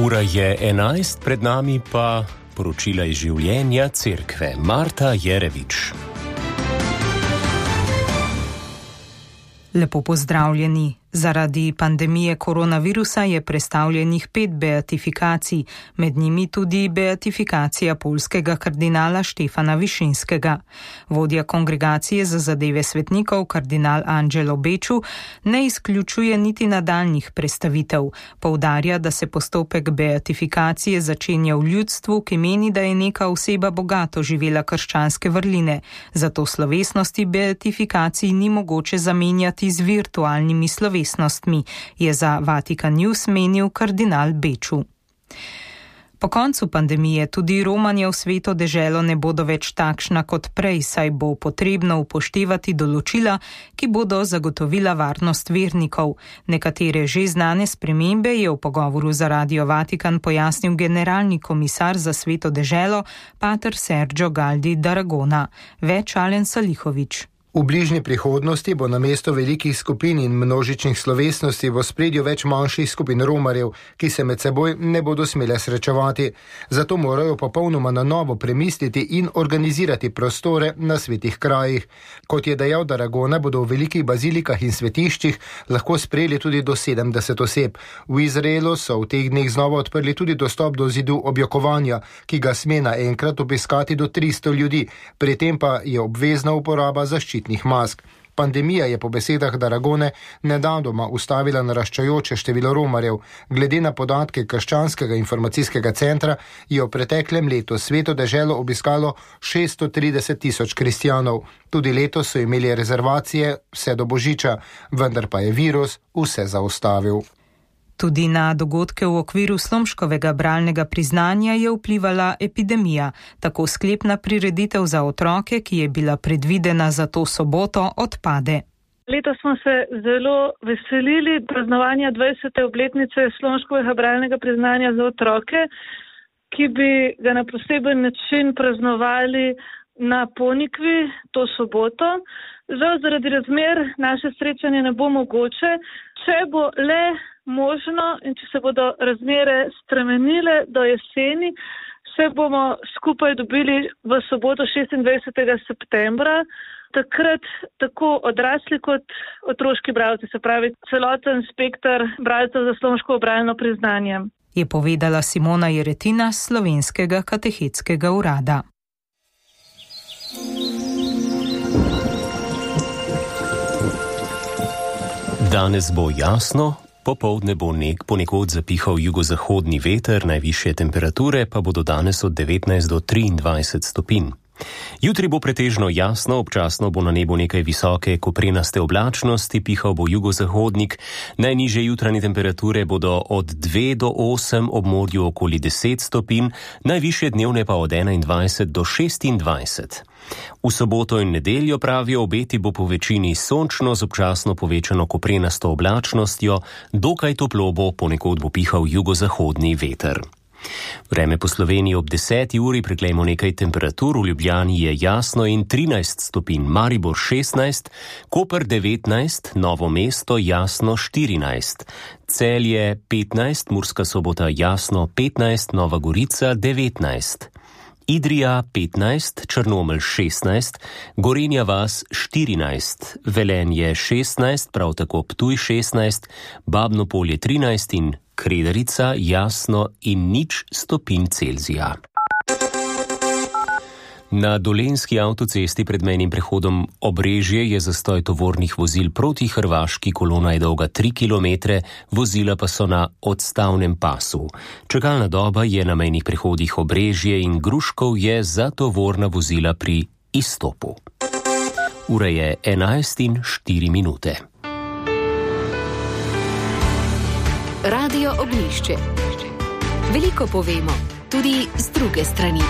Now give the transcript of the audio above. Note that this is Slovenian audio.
Ura je 11, pred nami pa poročila iz življenja cerkve. Marta Jerevič. Lepo pozdravljeni. Zaradi pandemije koronavirusa je prestavljenih 5 beatifikacij, med njimi tudi beatifikacija poljskega kardinala Štefana Višinskega. Vodja kongregacije za zadeve svetnikov, kardinal Angelo Beču, ne izključuje niti nadaljnjih prestavitev. Poudarja, da se postopek beatifikacije začenja v ljudstvu, ki meni, da je neka oseba bogato živela krščanske vrline. Zato slovesnosti beatifikacij ni mogoče zamenjati z virtualnimi slovesnostmi, je za Vatikan News menil kardinal Beču. Po koncu pandemije tudi romanja v Sveto deželo ne bodo več takšna kot prej, saj bo potrebno upoštevati določila, ki bodo zagotovila varnost vernikov. Nekatere že znane spremembe je v pogovoru za Radio Vatikan pojasnil generalni komisar za Sveto deželo, pater Sergio Galdi d'Aragona. Več Alen Salihovič. V bližnji prihodnosti bo namesto velikih skupin in množičnih slovesnosti v ospredju več manjših skupin romarjev, ki se med seboj ne bodo smele srečevati. Zato morajo popolnoma na novo premisliti in organizirati prostore na svetih krajih. Kot je dejal d'Aragona, bodo v velikih bazilikah in svetiščih lahko sprejeli tudi do 70 oseb. V Izraelu so v teh dneh znova odprli tudi dostop do zidu objokovanja, ki ga sme naenkrat obiskati do 300 ljudi, pri tem pa je obvezna uporaba zaščitnih mask. Pandemija je po besedah d'Aragone nedavnoma ustavila naraščajoče število romarjev. Glede na podatke Krščanskega informacijskega centra je v preteklem letu Sveto deželo obiskalo 630.000 kristjanov. Tudi letos so imeli rezervacije vse do Božiča, vendar pa je virus vse zaustavil. Tudi na dogodke v okviru slomškovega bralnega priznanja je vplivala epidemija. Tako sklepna prireditev za otroke, ki je bila predvidena za to soboto, odpade. Letos smo se zelo veselili praznovanja 20. obletnice slomškovega bralnega priznanja za otroke, ki bi ga na poseben način praznovali na Ponikvi to soboto. Žal zaradi razmer naše srečanje ne bo mogoče. Če bo le možno in če se bodo razmere spremenile do jeseni, se bomo skupaj dobili v soboto 26. septembra. Takrat tako odrasli kot otroški bralci, se pravi celoten spekter bralcev za slomškovo bralno priznanje. Je povedala Simona Jeretina z Slovenskega katehetskega urada. Danes bo jasno, popoldne bo ponekod zapihal jugozahodni veter, najvišje temperature pa bodo danes od 19 do 23 stopinj. Jutri bo pretežno jasno, občasno bo na nebu nekaj visoke koprenaste oblačnosti, pihal bo jugozahodnik, najnižje jutranje temperature bodo od 2 do 8, ob morju okoli 10 stopinj, najvišje dnevne pa od 21 do 26. V soboto in nedeljo, pravijo, obeti bo po večini sončno z občasno povečano koprenasto oblačnostjo, dokaj toplo bo, ponekod bo pihal jugozahodni veter. Vreme po Sloveniji ob 10. uri, preglejmo nekaj temperatur. V Ljubljani je jasno in 13 stopinj, Maribor 16, Koper 19, Novo mesto jasno 14, Celje 15, Murska Sobota jasno 15, Nova Gorica 19, Idrija 15, Črnomelj 16, Gorenja vas 14, Velenje 16, prav tako Ptuj 16, Babno Polje 13 in Kredarica jasno in 0 stopinj Celzija. Na Dolenjski avtocesti pred mejnim prehodom Obrežje je zastoj tovornih vozil proti Hrvaški, kolona je dolga 3 km, vozila pa so na odstavnem pasu. Čakalna doba je na mejnih prehodih Obrežje in Gruškov je za tovorna vozila pri izstopu. Ura je 11:04. Radio Ognjišče. Veliko povemo, tudi z druge strani.